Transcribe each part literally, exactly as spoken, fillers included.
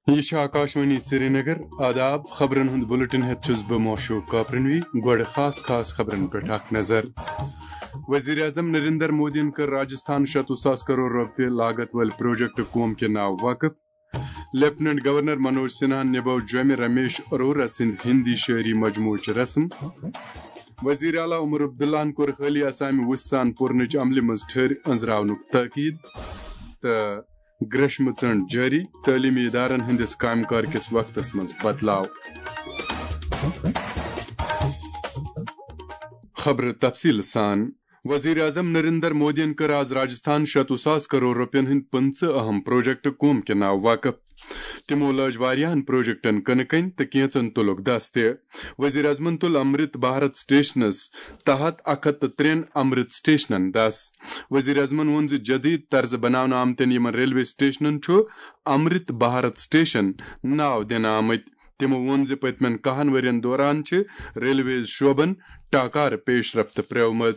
یہِ چھِ آکاشوانی سرینگر۔ آداب، خبرن ہُنٛد بُلٹن ہٮ۪تھ چھُس بہٕ موشوق کاپرنوی۔ گۄڈٕ خاص خاص خبرن پٮ۪ٹھ اکھ نظر۔ وزیر اعظم نریندر مودیَن کٔر راجستھان شتوُہ ساس کرور رۄپیہِ لاگت وٲلۍ پروجیکٹ قوم کے ناو وقف۔ لیفٹیننٹ گورنر منوج سنہاہن نِبٲو جوٚمہِ رمیش اروڑا سٕنٛدِ ہندی شٲعری مجموعٕچ رسم۔ وزیر اعلیٰ عمر عبداللہن کوٚر حالیہ سامہِ وُژھ سان پورنٕچ عملہِ منٛز ٹھٔرۍ أنٛزراونُک تٲکید۔ تہٕ گریشمہٕ ژٔنٛڈ جٲری، تعلیمی ادارن ہٕنٛدِس کامہِ کار کِس وقتس منٛز بدلاو۔ خبرٕ تفصیٖل سان۔ وزیر اعظم نریندر مودیَن کٔر آز راجستھان شتوُہ ساس کرور رۄپین ہٕنٛدۍ پٕنٛژٕہ اہم پروجیکٹ قوم کے ناو وقف۔ تِمو لٲج واریاہن پروجیکٹن کٕنہٕ کٔنۍ تہٕ کینٛژن تُلُکھ دس تہِ۔ وزیر اعظمن تُل امرت بھارت سٹیشنس تحت اکھ ہتھ تہٕ ترٛٮ۪ن امرت سٹیشنن دس۔ وزیر اعظمن ووٚن زِ جدید طرزٕ بناونہٕ آمتٮ۪ن یِمن ریلوے سٹیشنن چھُ امرت بھارت سٹیشن ناو دِنہٕ آمٕتۍ۔ تِمو ووٚن زِ پٔتمٮ۪ن کاہن ؤرین دوران چھِ ریلویز شعبن ٹاکارٕ پیش رفت پرٛٲومٕژ۔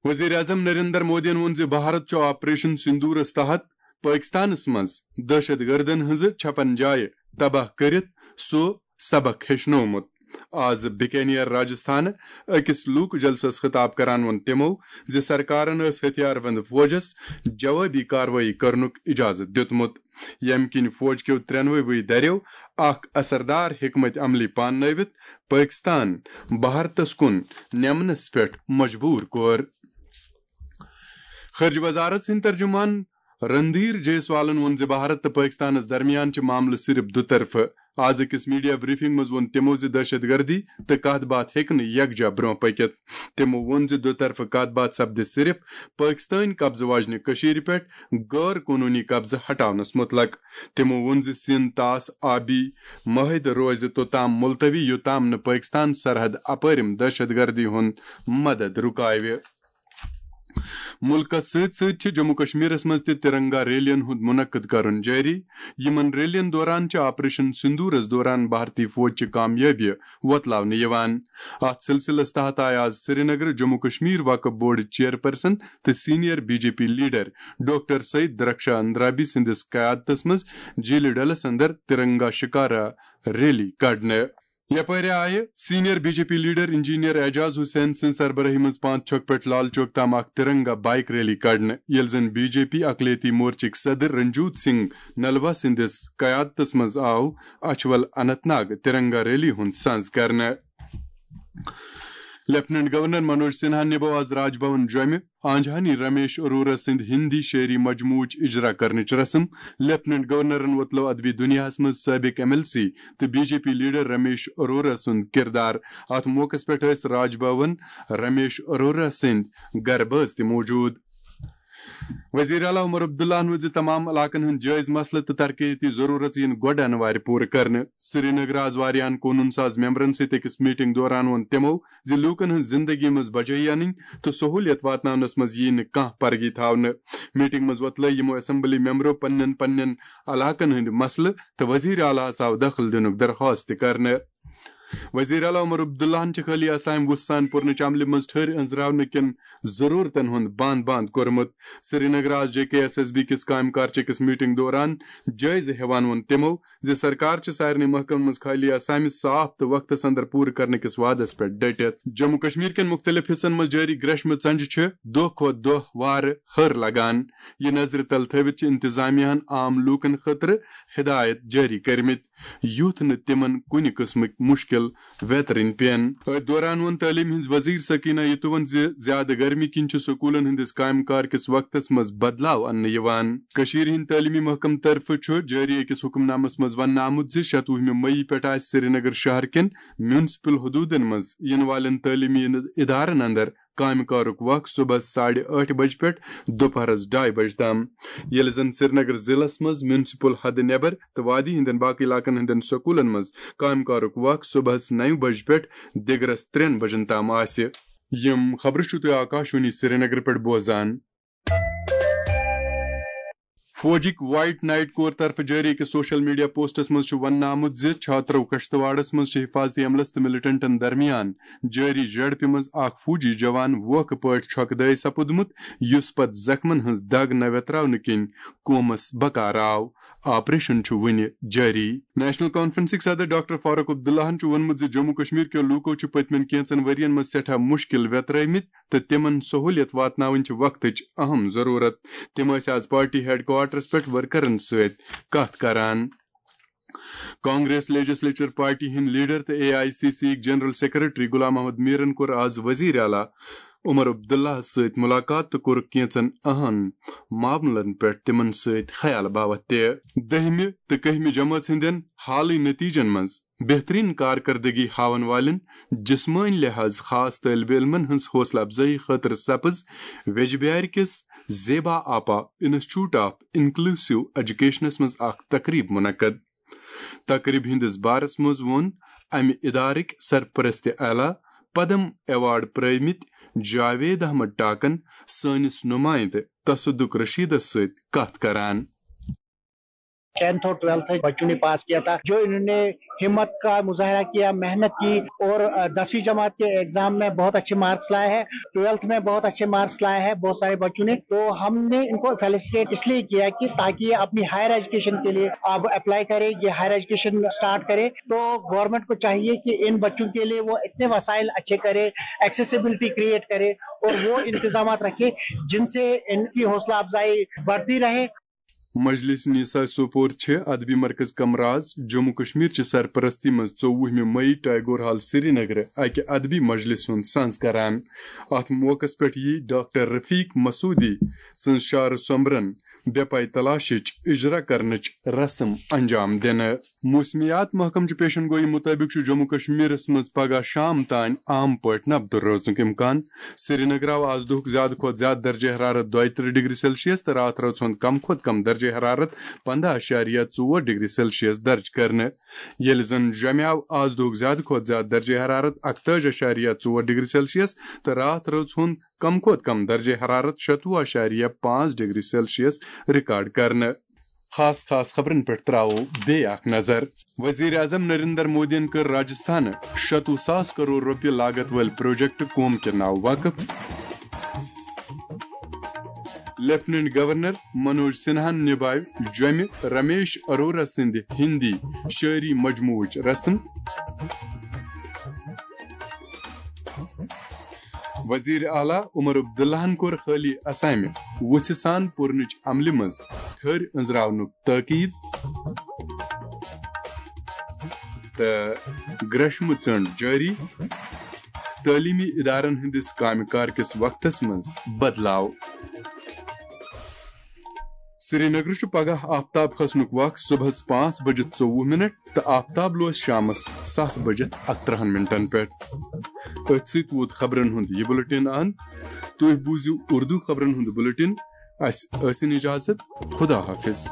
وزیر اعظم نریندر مودیَن ووٚن زِ بھارت چھُ آپریشن سندورس تحت پٲکستانس منٛز دہشت گردن ہٕنٛزٕ چھپن جایہِ تباہ کٔرِتھ سُہ سبق ہیٚچھنومُت۔ آز بکانیر راجستھانہٕ أکِس لوک جلسس خطاب کران ووٚن تِمو زِ سرکارن ٲس ہتھیار بند فوجس جوابی کاروٲیی کرنُک اجازت دیُتمُت، ییٚمہِ کِنۍ فوج کیو ترٛٮ۪نوَے دَریو اکھ اثردار حکمت عملی پاننٲوِتھ پٲکستان بھارتس کُن نمنس پٮ۪ٹھ مجبور کوٚر۔ خارجہ وزارت سٕنٛدۍ ترجمان رندھیر جیسوالن ووٚن زِ بھارت تہٕ پٲکستانس درمیان چھِ معاملہٕ صرف دُطرفہٕ۔ آز أکِس میڈیا بریفنگ منٛز ووٚن تِمو زِ دہشت گردی تہٕ کتھ باتھ ہیٚکہِ نہٕ یکجا برونٛہہ پٔکِتھ۔ تِمو ووٚن زِ دُطرفہٕ کتھ باتھ سپدِ صرف پٲکستٲنۍ قبضہٕ واجنہِ کٔشیٖرِ پٮ۪ٹھ غٲر قونوٗنی قبضہٕ ہٹاونس مُتعلق۔ تِمو ووٚن زِ سِنٛد طاس آبی معاہدٕ روزِ توٚتام ملتوی، یوٚتام نہٕ پٲکستان سرحد اپٲرِم دہشت گردی ہُنٛد مدد رُکاوِ۔ مُلکَس سۭتۍ سۭتۍ چھِ جموں کشمیرَس منٛز تہِ ترنگا ریلیَن ہُنٛد منعقد کرُن جٲری۔ یِمَن ریلیَن دوران چھِ آپریشن سندورَس دوران بھارتی فوج چہِ کامیٲبیہِ وۄتلاونہٕ یِوان۔ اَتھ سلسلس تحت آیہِ آز سرینگر جموں کشمیر وقف بورڈ چیئرپرسن تہٕ senior B J P leader doctor Syed Darakhshan Andrabi سٕنٛدِس قیادتس منٛز جیٖلہِ ڈلس اندر ترنگا شکارا ریلی کڑنہٕ۔ یپٲرۍ آیہِ senior B J P leader engineer Ejaz Hussain سٕنٛز سربراہی منٛز پانٛژھ چوک پٮ۪ٹھ لال چوک تام اکھ ترنگا بائیک ریلی کڑنہٕ، ییٚلہِ زن بی جے پی اقلیتی مورچٕکۍ صدر رنجوت سنگھ نلوا سٕنٛدِس قیادتس منٛز آو اچھول اننت ناگ ترنگا ریلی ہُنٛد سنز کرنہٕ۔ لیفٹیننٹ گورنر منوج سنہا نِبو آز راج بھون جوٚمہِ آنجہانی رمیش اروڑا سٕنٛدِ ہندی شٲعری مجموعٕچ اجرا کرنٕچ رسم۔ لیفٹیننٹ گورنرن وۄتلٲو ادبی دُنیاہس منٛز سٲبق ایم ایل سی تہٕ B J P leader Ramesh Arora سُنٛد کردار۔ اتھ موقعس پٮ۪ٹھ ٲسۍ راج بھون رمیش اروڑا سٕنٛدۍ گرٕ بٲژ تہِ موجود۔ وزیر اعلیٰ عمر عبداللہن ووٚن زِ تمام علاقن ہٕنٛدۍ جٲیز مسلہٕ تہٕ ترقیتی ضروٗرت یِن گۄڈٕ انوارِ پوٗرٕ کرنہٕ۔ سرینگر آز واریاہن قونوٗن ساز ممبرن سۭتۍ أکِس میٹنگ دوران ووٚن تِمو زِ لوٗکن ہٕنٛز زندگی منٛز بجٲیی انٕنۍ تہٕ سہوٗلیت واتناونس منٛز یِیہِ نہٕ کانٛہہ پرگی تھاونہٕ۔ میٹنگ منٛز وۄتلٲے یِمو اسمبلی ممبرو پننٮ۪ن پننٮ۪ن علاقن ہٕنٛدۍ مسلہٕ تہٕ وزیر اعلیٰ ہس آو دخل دِنُک درخواست تہِ کرنہٕ۔ وزیر اعلیٰ عمر عبداللہن چھِ حالیہ سامہِ وُژھ سان پورنٕچ عملہِ منٛز ٹھٔرۍ أنٛزراونہٕ کٮ۪ن ضروٗرتن ہُنٛد بنٛد بنٛد کوٚرمُت۔ سرینگر آز جے کے ایس ایس بی کِس کامہِ کارچہِ کِس میٹنگ دوران جٲیزٕ ہٮ۪وان ووٚن تِمو زِ سرکار چھِ سارنٕے محکمن منٛز حالیہ سامہِ صاف تہٕ وقتس اندر پوٗرٕ کرنہٕ کِس وعدس پٮ۪ٹھ ڈٔٹِتھ۔ جموں کشمیر کٮ۪ن مُختٔلِف حصن منٛز جٲری گریشمہٕ ژنجہِ چھِ دۄہ کھۄتہٕ دۄہ وارٕ ہر لگان۔ یہِ نظرِ تل تھٲوِتھ چھِ انتظامیہ ہن عام لوٗکن خٲطرٕ ہدایت جٲری کٔرمٕتۍ، یُتھ نہٕ تِمن کُنہِ قٕسمٕکۍ مُشکِل ویترٕنۍ پٮ۪ن۔ أتھۍ دوران ووٚن تعلیٖم ہٕنٛز وزیر سکینہ یتوون زِ زیادٕ گرمی کِنۍ چھُ سکوٗلن ہٕنٛدِس کامہِ کار کِس وقتس منٛز بدلاو اننہٕ یِوان۔ کٔشیٖرِ ہٕنٛدۍ تعلیٖمی محکمہٕ طرفہٕ چھُ جٲری أکِس حُکمنامس منٛز وننہٕ آمُت زِ شتوُہمہِ مئی پٮ۪ٹھ آسہِ سرینگر شہر کٮ۪ن میونسپل حدوٗدن منٛز یِنہٕ والٮ۪ن تعلیٖمی ادارن اندر کامہِ کارُک وق صبحس ساڑِ ٲٹھِ بجہِ پٮ۪ٹھ دُپہرس ڈاے بجہِ تام، ییٚلہِ زن سرینگر ضلعس منٛز میونسپل حدٕ نٮ۪بر تہٕ وادی ہٕنٛدٮ۪ن باقٕے علاقن ہٕنٛدٮ۪ن سکوٗلن منٛز کامہِ کارُک وق صبحس نَیہِ بجہِ پٮ۪ٹھ دِگرس ترٛٮ۪ن بجن تام آسہِ۔ یِم خبرٕ چھِو تُہۍ آکاشوانی سرینگرٕ پٮ۪ٹھ بوزان۔ فوجٕکۍ وائٹ نائٹ کور طرفہٕ جٲری أکِس سوشل میڈیا پوسٹس منٛز چھُ وننہٕ آمُت زِ چھاترو کشتواڑس منٛز چھِ حفاظتی عملس تہٕ ملیٹنٹن درمیان جٲری جھڑپہِ منٛز اکھ فوجی جوان ووکھٕ پٲٹھۍ چھۄکہٕ دٲے سپُدمُت، یُس پتہٕ زخمن ہٕنٛز دگ نہ ویتراونہٕ کِنۍ کومس بکار آو۔ آپریشن چھُ وُنہِ جٲری۔ نیشنل کانفرنسٕکۍ صدر ڈاکٹر فاروق عبداللہن چھُ ووٚنمُت زِ جموں کشمیر کیو لوٗکو چھِ پٔتمٮ۪ن کینٛژن ؤرین منٛز سٮ۪ٹھاہ مُشکِل ویترٲومٕتۍ تہٕ تِمن سہوٗلیت واتناوٕنۍ چھِ وقتٕچ اہم ضروٗرت۔ تِم ٲسۍ آز پارٹی ہیڈ کوارٹرس پٮ۪ٹھ ورکرن سۭتۍ کتھ کران۔ کانگریس لیجسلیچر پارٹی ہٕنٛدۍ لیڈر تہٕ اے آئی سی سی یِکۍ جنرل سیکرٹری غلام محمد میرن کوٚر آز وزیر اعلیٰ عمر عبداللہس سۭتۍ ملاقات تہٕ کوٚرُکھ کینٛژن اہم معاملن پٮ۪ٹھ تِمن سۭتۍ خیال باوتھ تہِ۔ دٔہمہِ تہٕ کٔہمہِ جمٲژ ہٕنٛدٮ۪ن حالٕے نتیجن منٛز بہترین کارکردگی ہاون والٮ۪ن جسمٲنی لحاظ خاص طٲلب علمن ہٕنٛز حوصلہٕ افزٲیی خٲطرٕ سپٕز ویجبیارِ کِس زیبا آپا انسٹیٹیوٹ آف انکلوسیو ایجوکیشنس منٛز اکھ تقریب منعقد۔ تقریب ہٕنٛدِس بارس منٛز ووٚن امہِ ادارٕکۍ سرپرست اعلیٰ پدم ایوارڈ پرٲومٕتۍ جاوید احمد ٹاکن سٲنِس نمائندٕ تصدق رشیدس سۭتۍ کتھ کران۔ ٹینتھ اور ٹویلتھ بچوں نے پاس کیا تھا، جو انہوں نے ہمت کا مظاہرہ کیا، محنت کی اور دسویں جماعت کے ایگزام میں بہت اچھے مارکس لائے ہیں، ٹویلتھ میں بہت اچھے مارکس لائے ہیں بہت سارے بچوں نے۔ تو ہم نے ان کو فیلسٹریٹ اس لیے کیا کہ تاکہ یہ اپنی ہائر ایجوکیشن کے لیے اب اپلائی کرے، یہ ہائر ایجوکیشن اسٹارٹ کرے۔ تو گورنمنٹ کو چاہیے کہ ان بچوں کے لیے وہ اتنے وسائل اچھے کرے، ایکسیسیبلٹی کریٹ کرے اور وہ انتظامات رکھے جن سے ان کی حوصلہ افزائی بڑھتی رہے۔ مجلس نساء سوپور چھِ ادبی مرکز کمراز جموں کشمیر چہِ سرپرستی منٛز ژوٚوُہمہِ مئی ٹیگور ہال سرینگرٕ اکہِ ادبی مجلس ہُنٛد سنز کران۔ اتھ موقعس پٮ۪ٹھ یی ڈاکٹر رفیق مسعودی سٕنٛز شعر سومبرن بے پاے تلاشٕچ اجرا کرنٕچ رسم انجام دِنہٕ۔ موسمیات محکمہٕ چہِ پیشن گویی مُطٲبِق چھُ جموں کشمیرس منٛز پگہہ شام تام عام پٲٹھۍ نبدٕ روزنُک امکان۔ سرینگر آو آز دُہُک زیادٕ کھۄتہٕ زیادٕ درجہ حرارت دۄیہِ ترٕٛہ ڈگری سیلسیس تہٕ راتھ رٲژ ہُنٛد کم کھۄتہٕ کم درجہ حرارت پنداہ اعشاریہ ژور ڈگری سیلسیس درج کرنہٕ، ییٚلہِ زن جوٚمہِ آو آز دُہُک زیادٕ کھۄتہٕ زیادٕ درجہ حرارت اکتٲجی اعشاریہ ژور ڈگری سیلسیس تہٕ راتھ رٲژ ہُنٛد کم کھۄتہٕ کم درجہ حرارت شتوُہ اعشاریہ پانٛژھ ڈگری سیلسیس ریکارڈ کرنہٕ۔ خاص خاص خبرن پٮ۪ٹھ تراوو بیٚیہِ اکھ نظر۔ وزیر اعظم نریندر مودیَن کٔر راجستھانہٕ شتوُہ ساس کرور رۄپیہِ لاگت وٲلۍ پروجیکٹ قوم کے ناو وقف۔ لیفٹیننٹ گورنر منوج سنہاہن نبھاوِ جوٚمہِ رمیش اروڑا سٕنٛدِ ہندی شٲعری مجموعٕچ رسم۔ وزیر اعلیٰ عمر عبداللہن کوٚر حٲلی اسامہِ وُژھِ سان پورنٕچ عملہِ منٛز ٹھٔرۍ أنٛزراونُک تٲکیٖد۔ تہٕ گرٛشمہٕ ژٔنٛڈ جٲری، تعلیمی ادارن ہٕنٛدِس کامہِ کار کِس وقتس منٛز بدلاو۔ سرینگرٕ چھُ پگاہ آفتاب کھسنُک وق صبحس پانٛژھ بجہِ ژوٚوُہ منٹ تہٕ آفتاب لوس شامس ستھ بجہِ اکترٕہن منٹن پٮ۪ٹھ۔ أتھۍ سۭتۍ ووت خبرن ہُنٛد یہِ بُلٹن اند۔ تُہۍ بوٗزِو اردو خبرن ہُنٛد بُلٹن۔ اسہِ ٲسِن اجازت۔ خدا حافظ۔